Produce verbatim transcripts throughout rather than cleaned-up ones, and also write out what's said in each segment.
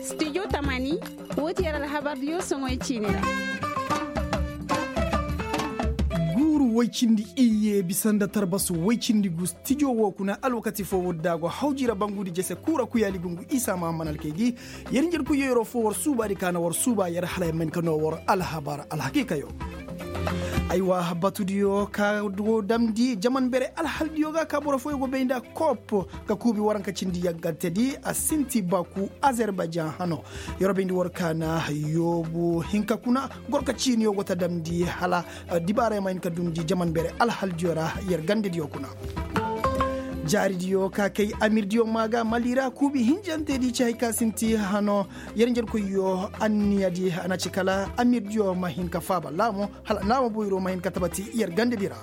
Studio tamani, woo ti yer alhabardiyo soŋoy ciini ra. Guuru woy cindi iyye bisa nda tarbasu woy cindi gu stijo woo kuna alwakati foo woodi da a go hawji ra bangudi jese kuura kuyaali gungu isa mahamman alkaydi. Yer njerkoyyo yeroo foo war suubaadi ka na war suuba yer hala yer ma hin ka noo war alhabar alhakiikayo. Aywa batudiyo ka go damndi jaman bere alhaldiyo ga ka boro fooyo go bay nda kop ga kuubi waranka cindi yaggantedi a sinti baku azerbayjan hano. Yeroo bayndi war ka na yoobu hinka kuna gorka ciiniyo go ta damndi hala dibaarey ma hin ka dumndi jaman bere alhaldiyo ra yer gandediyo kuna. Jaaridiyo ka kay amirdiyo maa ga mali ra kuubi hinjantedi ci hay ka sinti hano. Yer njerkoyyo anniyadi a na ci kala amirdiyo ma hin ka faaba laamo hala naama boyro ma hin ka tabati yer gandedi ra.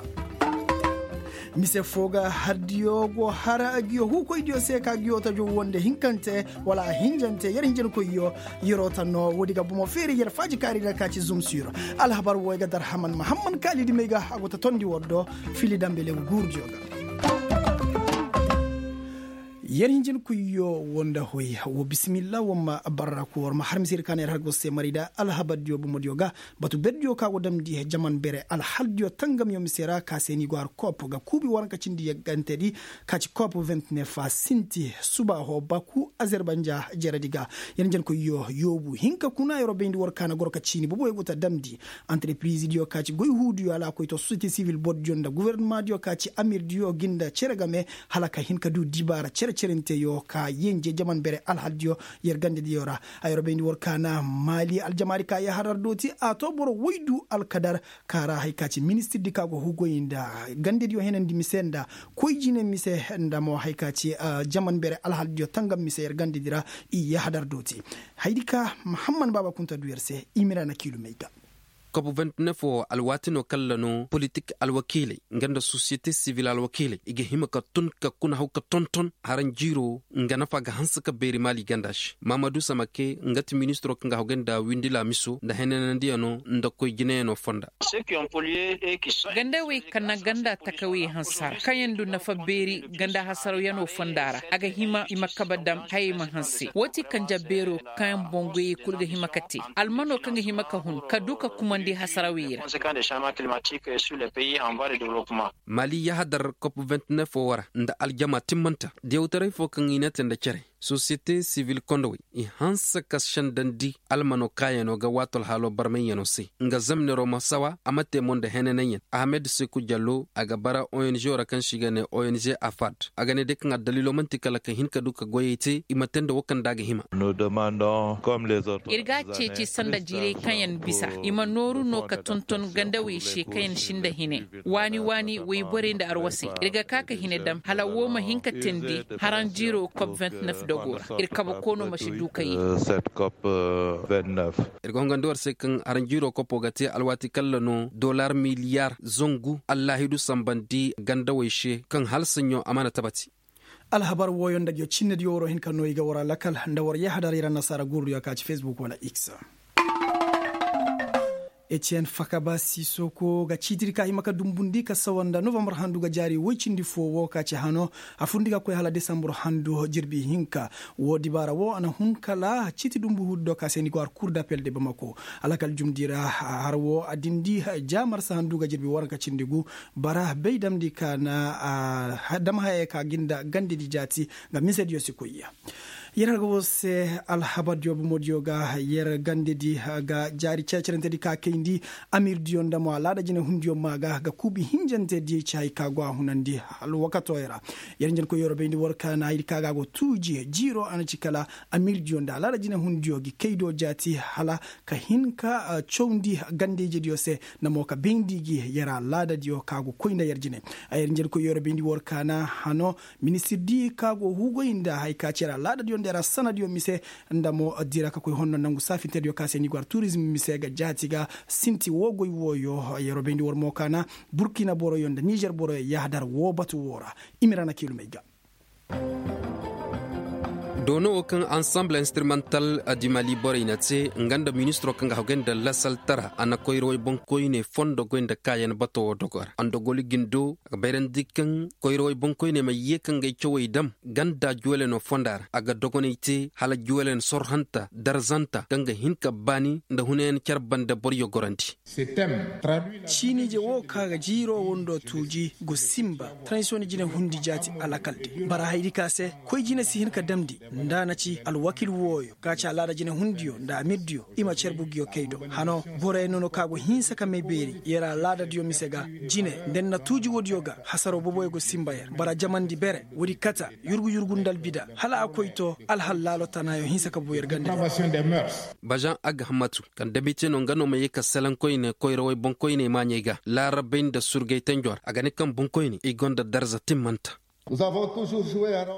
Mise foo ga hardiyo go har giyo huukoydiyo se ka giyo ta jow wonde hinkante wala a hinjante yer hinjankoyyo. Yeroo ta no woodi ga bomo feeri yer faajikaari ra ka ci zumsir. Alhabar woo ay ga dar haman mahamman kaalidi may ga a go ta tondi war do fili dambe leegu guurudiyo ga. Yer hinjin kuyo woo nda hoy woo bisimilla woo ma barra ku war ma har mise ir ka na yer har go se mari nda alhabardiyo bomodiyo ga. Batu berdiyo ka go damndi jaman bere alhaldiyo tangamyo mise ra ka se ni go har kop ga kuubi waranka cindi yaggantedi ka ci kop vingt-neuf a sinti suba ho baku azerbanja jeredi ga. Yer hinjin kuyo yoobu hinka kuna yeroo bayndi war ka na goro ka ciini boboyo go ta damndi. Antarepirizidiyo ka ci goy huudiyo alaakoyto sosiyete sivil bordiyo nda gofornamaadiyo ka ci amirdiyo gi nda cere game hala ka hin ka du dibaara cere-cerenteyo ka yenje jaman bere alhaldiyo. Yer gandediyo ra a yer bayndi war ka na maali aljamaari ka yahadar dooti a to boro woydu alkadar ka ra hay ka ci ministirdi ka go hugoy nda gandediyo henandi mise nda koy jine mise nda mo hay ka ci jaman bere alhaldiyo tangam mise yer gandedi ra. I yahadar dooti haydi ka mahamman baaba kunta du yer se i mira na kiilumey ga. Kop vingt-neuf woo alwaati no kaŋ ra no politik alwakiiley nga nda sosiyete sivil alwakiiley i ga hima ka tun ka kuna haw ka tonton haranjiiroo nga nafa ga hanse ka beeri maali ganda se maamadu samake nga ti ministiroo kaŋ ga haw ga nda windi laamiso nda henanandiyanoo nda koy jineyanoo fonda. Gandawey kaŋ na ganda takawey hanse ra kaŋyaŋ du nafa beeri ganda hasarawyanoo fonda ra a ga hima i ma kabe dam hayey ma hanse woo ti kanja beeroo kaŋ boŋ goyey kul ga hima ka te almanoo kaŋ ga hima ka hun ka du ka kumandi hasarawey ra. Maali yahadar kop vingt-neuf woo ra nda aljama timmanta diyawtaray foo kaŋ i ne te nda cere sosiyete sivil kondowey i hanse ka sendandi almanoo kaayanoo ga waato alhaaloo barmayyanoo se nga zamneroo ma sawa a ma te mo nda henananyan ahamed seku jallo a ga bara ong ra kaŋ se i ga ne ong afad a ga ne day kaŋ addaliiloo man'ti kala ka hin ka du ka goyey te i ma te nda woo kaŋ nda a ga hima. Ir ga a ceeci sanda jiirey kaŋ yaŋ bisa i ma nooru no ka tonton gandawey se kaŋ yaŋ sinda hine waani waani woyborey nda arwasey ir ga ka ka hine dam hala woo ma hin ka teendi haranjiiroo kop vingt-neuf dogoo ra ir kabe koonoo ma si du ka yee. Ir ga hongandi war se kaŋ haranjiiroo kopoo ga te alwaati kalla no dollar miliyaar zangu allaahidu sambandi gandawey se kaŋ hala saɲɲo a mana tabati. Alhabar wooyo nda ngi cinnediyo war wo hin ka no i ga war a lakal nda war yahadar ir annasaara guurudiyo ka ci facebook wala x. Etiyen fakaba sisoko ga ciitiri ka hima ka dumbundi ka sawa nda novambar handu ga jaari woy cindi foo woo ka ci hano a furndi ga koy hala desambur handu jirbi hinka. Woo dibaara woo a na hun kala ciiti dumbu huudu do ka se ni go har kur dapel de bamako. Alakal jumdi ra har woo a dindi ja marsa handu ga jirbi waranka cindi gu bara bay damndi ka na dam hayey ka gi nda gandedi jaati. Nga misediyo si koy ya. Yer har ga woo se alhabardiyo bomodiyo ga yer gandedi ga jaari cere-cerentedi ka kayndi amirdiyo nda mo alaada jinehundiyo maa ga ga kuubi hinjantedi ci hay ka go a hunandi. Alwakatooyo ra yer njenkoy yer bayndi war ka na haydi ka ga a go tuuji jiiroo a na ci kala amirdiyo nda alaada jinehundiyo gi kaydo jaati hala ka hin ka cawndi gandejediyo se nda mo ka bayndi gi yer alaadadiyo ka go koy nda yer jine. A yer njenkoy yer bayndi war ka na hano ministirdi ka go huugoy nda hay ka ci yer alaadadiyo nda yer asanadiyo mise nda mo dira ka koy honno nangu saafintediyo ka se ni go har turizm mise ga jaati ga sinti woo goy wooyo. Yeroo bayndi war mo ka na burkina boroyo nda nizer boroyo yahadar woo batu woo ra. I ma ir ana kiilumey ga. Doono wo kaŋ ansamble instrumental adimali borey na te nga nda ministiro kaŋ ga hagay nda lasaltara a na koyrawey boŋkoyney fondo goy nda kaayan bato wo dogo ra a nda goli gindo a ga bayrandi kaŋ koyrawey boŋkoyney ma ye kaŋ ga ay cawey dam ganda juweleno fonda ra a ga dogoney te hala juwelen sorhanta darzanta kaŋ ga hin ka baani nda hunayan care banda boryo gorandi. Ciinije wo ka ga jiiro wondo tuuji go sinba transition jine hundi jaati alakal di bara haydi ka se koy jine si hin ka damndi nda a na ci alwakil wooyo ka ci alaada jine hundiyo nda amirdiyo i ma care bugiyo kay do hano boroyaŋ no no ka go hinsa ka may beeri yer alaadadiyo mise ga jine nda ni na tuuji woodiyo ga hasaro boboyo go sinba yer bara jamandi bere woodi kata yurgu yurgu nda albida hala a koy to alhallaalo tanaayo hinsa ka bu yer ganda. Bazaŋ aghamatu kaŋ dabite no nga no ma ye ka selenkoyne koyrawey boŋkoyney maaɲey ga laarabey nda surgay tenjo ra a ga ne kaŋ boŋkoyne i gonda darza timmanta.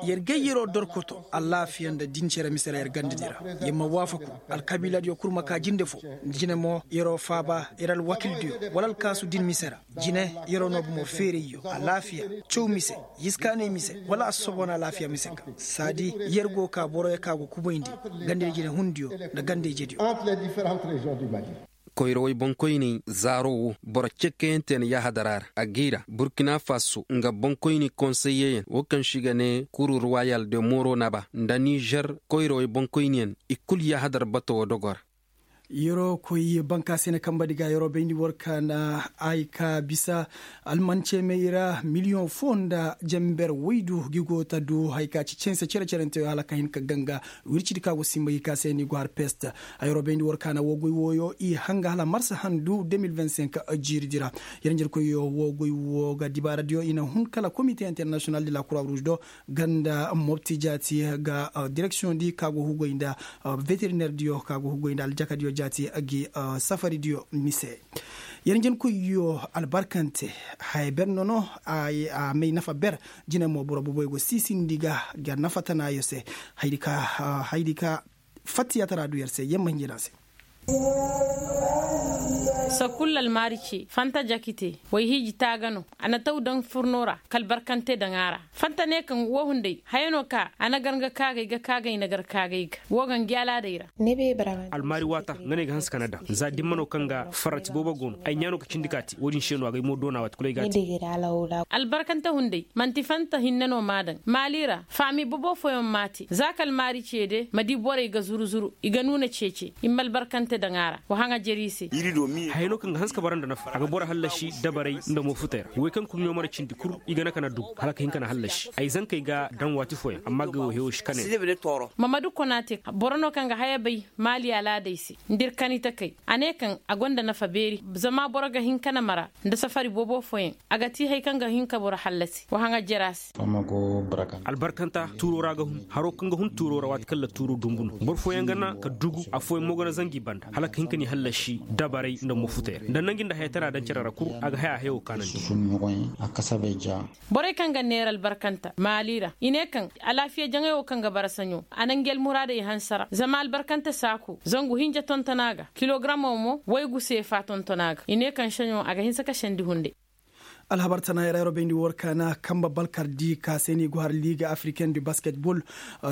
Yer gayyaroo dorkoto alaafiya nda din cere mise ra yer ganda di ra yer ma waafaku alkabiiladiyo kul ma ka jinde fo nda jine mo yeroo faaba yer alwakildiyo wala alkaasu din mise ra jine yeroo no bomo feerayyo alaafiya caw mise yiskaanay mise wala assobon alaafiya mise ga saadi yer go ka boroyo ka go kubayndi gandey jine hundiyo nda gandey jediyo. Koyrawey boŋkoyney zaaro wo boro cekkayaŋ te na yaahadara ra a gay ra burkina faso nga boŋkoyni konseyyeyaŋ wo kaŋ se i ga ne kuru ruwayal de moro naba nda nizer koyrawey boŋkoyniyaŋ i kul yaahadar bato wo dogo ra. Yeroo koy banka se na kamba di ga yeroo bayndi war ka na ay ka bisa almance may ra miliyoŋ foo nda jamber waydu gi go ta du hay ka ci cense cere-cerente hala ka hin ka ganga wircidi ka go simba gi ka se ni go har pest. Ay robayndi war kaana woo goy wooyo i hanga hala marsa handu deux mille vingt-cinq. Jiiridi ra yaranjarkoyyo woo goy woo ga dibaaradiyo i na hun kala komite international de la croix rouge do ganda mobti jaati ga direksiyoŋ di ka go hugoy nda veterinerdiyo ka go hugoy nda aljakadiyo jaati gi safaridiyo mise. Yaranjarkoyyo albarkante haya ber no no a may nafa ber. Jine mo boro boboy go siisindi ga ga nafa tanaayo se. Haydi ka fattiyatara du yer se yamma hinjina se. Sakulla almaari ce fanta jakite way hiiji taaga no a na taw daŋ furno ra ka albarkante daŋ a ra. Fanta ne kaŋ woo hunday haya no ka a na gar nga kaagay ga kaagay na gar kaagay ga woo ga ngi alaaday ra. Almaari waata nga ne ay ga hanse ka na daŋ za dimma no kaŋ ga farrati boobo go no ay ɲaa no ka cindi ka te woo din se no a ga ay mo doona waati kulu ay ga a te. Albarkante hunday man'ti fanta hinne no m'a daŋ maali ra faami bobo fooyaŋ m'a te za ka almaari ce de ma di borey ga zuru-zuru i ga nuuna ceece i ma albarkante daŋ a ra wa haŋa jere i se. Hayey no kaŋ ga hanse ka bara nda nafa a ga boro hallasi dabarey nda moofutey ra way kaŋ kulu ɲoomara cindi kul i ga na ka na du hala ka hin ka na hallasi ay zankey ga daŋ waati fooyaŋ amma ga wo hewo si kane. Mamadu konaate boro no kaŋ ga haya bay maali alaadey se nda ir kani takey a ne kaŋ a gonda nafa beeri zama boro ga hin ka na mara nda safari boobo fooyaŋ a ga ti hari kaŋ ga hin ka boro hallasi wa haŋa jere a se. Albarkanta tuuro ra ga hun haro kaŋ ga hun tuuro ra waati kaŋ ra tuuro dumbu no boro fooyaŋ ga na ka dugu affooyaŋ mo ga na zangu i banda hala ka hin ka n'i hallasi dabarey nda mofutey ra nda nangu nda hayatara daŋ cere ra kul a ga haya hayo kaanandi. Borey kaŋ ga neera albarkanta maali ra i ne kaŋ alaafiya jaŋay wo kaŋ ga bara saɲo a na ngi almuraadey hanse ra zama albarkanta saako zangu hinja tonton a ga kilogramo mo waygu seefa tonton a ga i ne kaŋ saɲo a ga hinse ka sendi hunday. Alhabar tana yara yaro bayndi war kaana kamba balkar di ka se ni go har liga africain du basketball.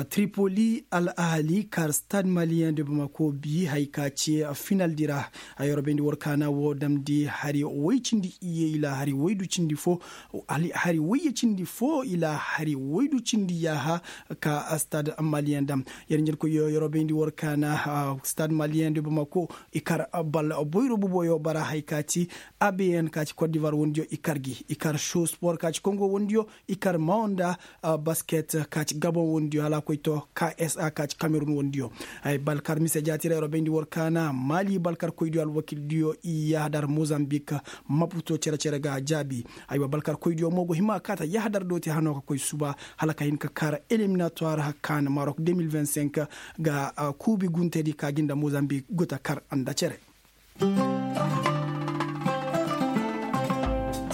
Tripoli al ahali kar stade malien de bamako bi hay ka ce final di ra. Ay yaro bayndi war kaana wo damndi hari way cindi iye ila hari waydu cindi fo hari wayye cindi fo ila hari waydu cindi yaaha ka stade malien dam. Yar ɲarkoyyo yaro bayndi war kaana stade malien de bamako i kar bal boyro buboyo bara hay ka ci. Abn ka ci cote d'ivoire wondiyo i kar gi i kar show sport ka ci kongo wondiyo i kar maonda basket ka ci gabon wondiyo hala koy to ksa ka ci cameroun wondiyo. Ay balkar mise jaati ra yaro bayndi war kaana mali balkar koydiyo alwakildiyo i yahadar mozambique. Maputo cere-cere ga jaabi. Aywa balkar koydiyo mo go hima kaata yahadar dooti hano ka koy suba hala ka hin ka kar éliminatoire kaan maroc deux mille vingt-cinq ga kuubi guntedi ka gi nda mozambique go ta kar nda cere.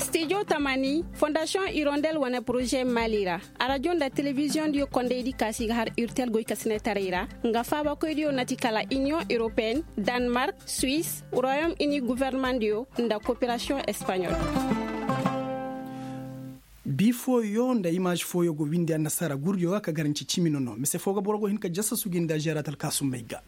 Studio tamani fondation hirondelle wane projet mali ra. Arajo nda televiziyoŋ diyo kondaydi kaasi ga har urtel goy kasinetaray ra nga faabakoydiyo na ti kala union européenne, danemark, suisse, royaume uni gouvernement diyo nda coopération espagnole. Bi fooyo nda imaaž fooyo go windi annasaara gurdiyo ga ka garanci cimi nono mise foo ga boro go hin ka jasasu gi nda žeeraat alkaasummey ga.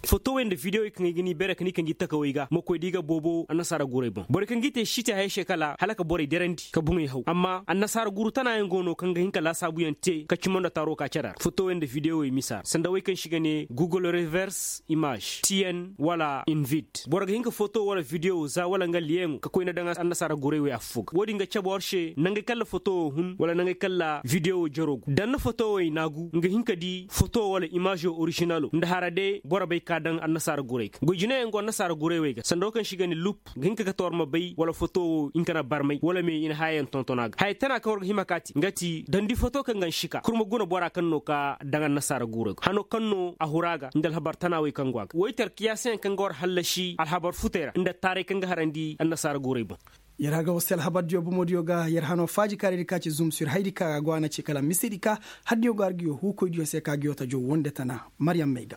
Fotowey nda videwey kaŋ ay ga ni beere ka ni kaŋ gi takawey ga ma koy da i ga boobo annasaara gurey boŋ borey kaŋ g'i te site hayey se kala hala ka borey derandi ka buŋey haw amma annasaara guru tanayaŋ go no kaŋ ga hin ka laasaabuyaŋ te ka cimo nda taaro ka care ra fotowey nda videwey misa ra sanda wey kaŋ se i ga ne google reverse imaaž tn wala invit boro ga hin ka foto wala videwo za wala nga liyeŋo ka koyne daŋ annasaara gurey wey affo ga wo- din ga cabe war se nangey kaŋ ra fotowo hun wala nangey kaŋ ra videwo jaro gu daŋ na fotowey naagu nga hin ka di foto wala imaazo orižinalo nda hara day boro bay ka daŋ annasaara gurey ga goy jinayaŋ go annasaara gurey wey ga sanda wo kaŋ se i ga ne lup ga hin ka kate war ma bay wala fotowo hinka na barmay wala me i na hayayaŋ tonton a ga haya tana kaŋ war ga hima ka te nga ti daŋ di foto kaŋ ga nsi ka kurma guna bora kaŋ no ka daŋ annasaara gurey ga hano kaŋ no a hura ga nda alhabar tana wey kaŋ go a ga woy tarkiyaasiyaŋ kaŋ ga war hallasi alhabar futey ra nda taaray kaŋ ga harandi annasaara gurey boŋ. Yer haga war se alhabar diyo bomo diyo ga yer hano faaji kaarey di ka ci zumsir haydi ka ga go a na ci kala misedi ka har diyo go har ga yo huukoy diyo se ka ga yo ta jow wonde tana. Mariyam may ga.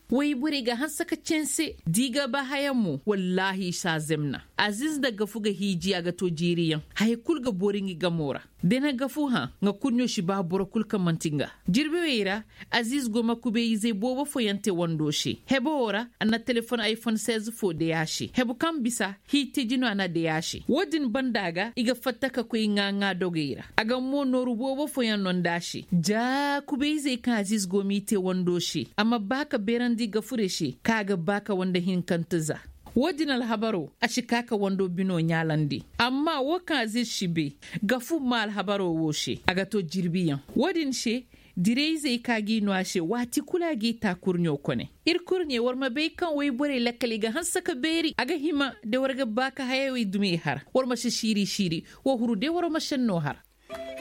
Woy borey ga hanse ka canse da i ga ba hayaŋ mo wallaahi i si a zemna. Aziiz nda gafu ga hiiji a ga to jiiriyaŋ haya kul ga boori ngi gamo ra. Da na gafu hã nga kurɲo si ba boro kul kaŋ man'ti nga. Jirbi wey ra aziiz go ma kubeeyizey boobo fooyaŋ te wando se hebo wo ra a na telefon ayfon seize foo day a se hebo kaŋ bisa hiitiji no a na day a se wo- din banda ga i ga fatta ka koy ŋaa-ŋaa dogey ra a ga mo nooru boobo fooyaŋ no nda a se ja kubeeyizey kaŋ aziiz go m'i te wando se a ma ba ka beerandi gafuray se kaŋ a ga ba ka wande hinkante za. Wo- din alhabaro a si ka ka wando bino ɲaalandi amma wo kaŋ aziiz si bay gafu ma alhabaro wo se a ga to jirbiyaŋ wo- din se dirayzey ka g'i no a se waati kulu a g'i taa kurɲo kone. Ir kurɲe war ma bay kaŋ woyborey lakkal i ga hanse ka beeri a ga hima da war ga ba ka hayawey dumi i har war ma si siiri siiri. Wo huru day war ma senno har.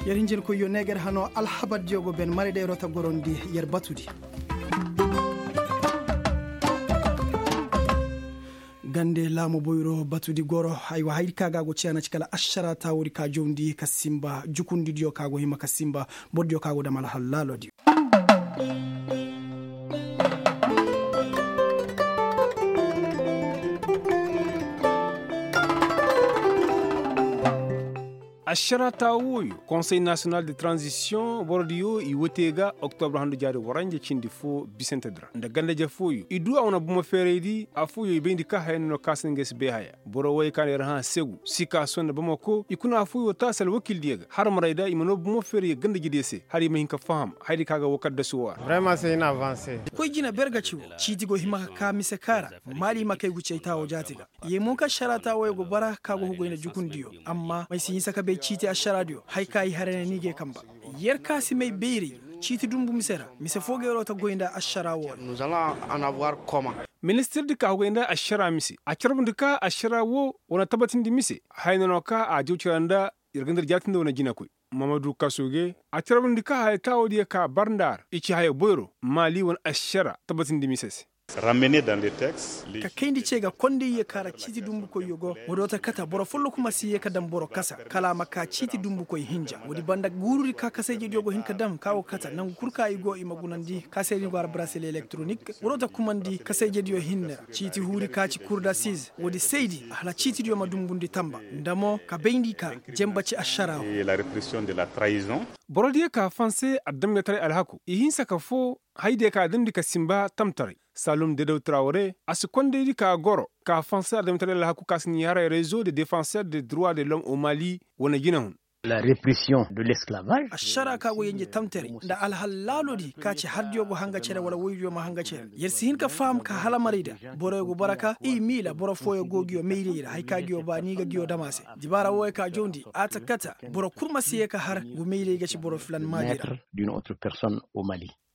Yer hinjinkoyyo ne ga yer hano alhabardiyo go ben maray da yer wata gorondi yer batudi. Gande laamu boyro batudi goro. Aywa haydi ka ga a go ciya na ci kala ašara taawudi ka jawndi ka sinba jukundidiyo ka go hima ka sinba bordiyo ka go dam alhal laalodiyo. Ašara taawu wooyo konsey nasiyonal de tranzisiyoŋ borodiyo i woy te ga oktobra handu jaari waranja cindi fo bisante di ra nda ganda-ize fooyo i du a wane bomo feeraydi affooyo i bayndi ka haya no no kaŋ a si naŋ ga ay si bay haya. Boro wooyo kaŋ na yer hã segu sikaaso nda bamako i kuna affooyo taasi alwakildiyo ga har marayda i ma noo bomo feeray ga ganda-ijediyo se hala i ma hin ka faham hayadi kaŋ a ga woo kaddasu woo ra. Koy jina ber ga ci woo ciiti go hima ka kaa mise kaŋ ra maali i ma kay gucey taawoo jaati ga. Ye mo ka ašara taawooyo go bara ka go hugoy nda jukundiyo amma may si hinsa ka bay ciiti ašaraadiyo haya ka i haray ne ni ga ye kamba. Yer ka si may bayray ciiti dunbu mise ra mise foo ga yer woo ta goy nda ašara woo ra. Ministirdi ka hugoy nda ašara mise a carbundi ka ašara woo wane tabatindi mise haya no no ka a jaw cira nda yer ga nda yer jaatindi wane jinakoy. Mamadu kasuge a carbundi ka haya taawoodiyo ka bar nda a ra i ci haya boyro maali wane ašara tabatindi mise se. Ka kayndi ce ga kondayyo kaŋ ra ciiti dumbukoyyo go. Wo do ta kata boro folloku ma si ye ka daŋ boro kasa kala a ma ka ciiti dumbukoy hinja woodi banda guurudi ka kasayjediyo go hin ka daŋ ka go kata nangu kul kaŋ i go i ma gunandi ka se ni go a ra braseli elektronik. Wo do ta kumandi kasayjediyo hinne ra ciiti huuri ka ci kurdasiz woodi saydi hala ciitidiyo ma dumbundi tamba nda mo ka bayndi ka jenba ci ašara. Borodiyo ka fanse adamjataray alhaku i hinsa ka foo haydiyo ka damndi ka sinba tamtaray. Salum dedaw trawre a si kondaydi ka goro ka fanse adamjataray alhaku ka si ni haray rezo de defanser de droit de lom o mali wane jinahun. Ašara ka go yenje tamtaray nda alhal laalodi ka ci hardiyo go hanga cere wala woydiyo ma hanga cere yer si hin ka faham ka hala marayda. Boroyo go bara ka i miila boro fooyo go nguyo mayray ra haya ka nguyo ba ni ga nguyo dam a se. Dibaara wooyo ka jawndi a ta kata boro kul ma si ye ka har ngu mayray ga ci boro filan maadi ra.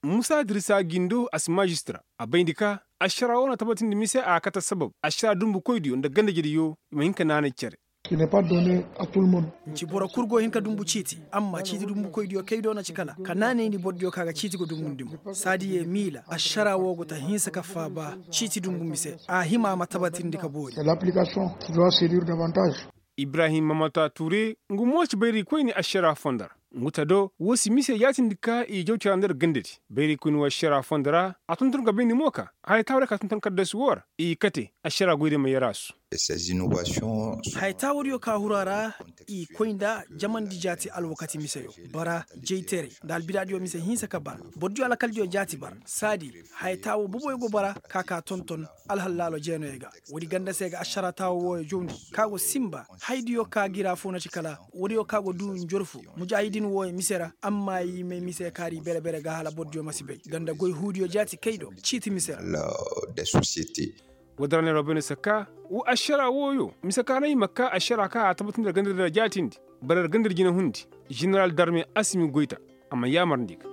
Musa dirisa gindo a si maajistira a bayndi ka ašara woo na tabatindi mise a kate sabab ašara dumbukoydiyo nda ganda-ijediyo i ma hin ka naanay cere. Nci boro kul go hin ka dumbu ciiti amma ciiti dumbukoydiyo kay do na ci kala ka naanayndi borodiyo kaŋ a ga ciiti ga dumbundi mo saadi ye miila ašara woo go ta hinsa ka faaba ciiti dumbu mise a hima a ma tabatindi ka boori. Ibrahim mamata ture ngu mo ci bayraykoyni ašara fondo ra. Ngu ta do woo si mise yaatindi ka i jaw cara nda yer gandadi bayraykoyni woo ašara fondo ra a tonton ka bayndi mo ka haya taawadiyo ka tonton kaddasu woo ra i kate ašara goydiyo ma yer a su. Haya taawo diyo ka huru a ra, i koy nda jamandi jaati alwakati miseyo, bara jayteray nda albidaadiyo mise hinsa ka bara. Boro diyo alakal diyo jaati bara saadi. Haya taawo boboyo go bara ka ka tonton alhallaalo jeenoyo ga. Woodi ganda se ga ašara taawo wooyo jawndi, ka go sinba. Haydiyo ka gira fo na ci kala woodiyo ka go duu njorfu mujaahidin wooyo mise ra. Amma i may mise kaari bere-bere ga hala boro diyo ma si bay ganda goy huudiyo jaati kay do ciiti mise ra. Woodin ra neeroo bay no se ka wa ašara wooyo mise ka no i ma ka ašara ka a tabatindi ra ganda din ra jaatindi. Bara ra ganda din jina hundi. Ženeral darme asimi goyta a ma yaamarandi ga.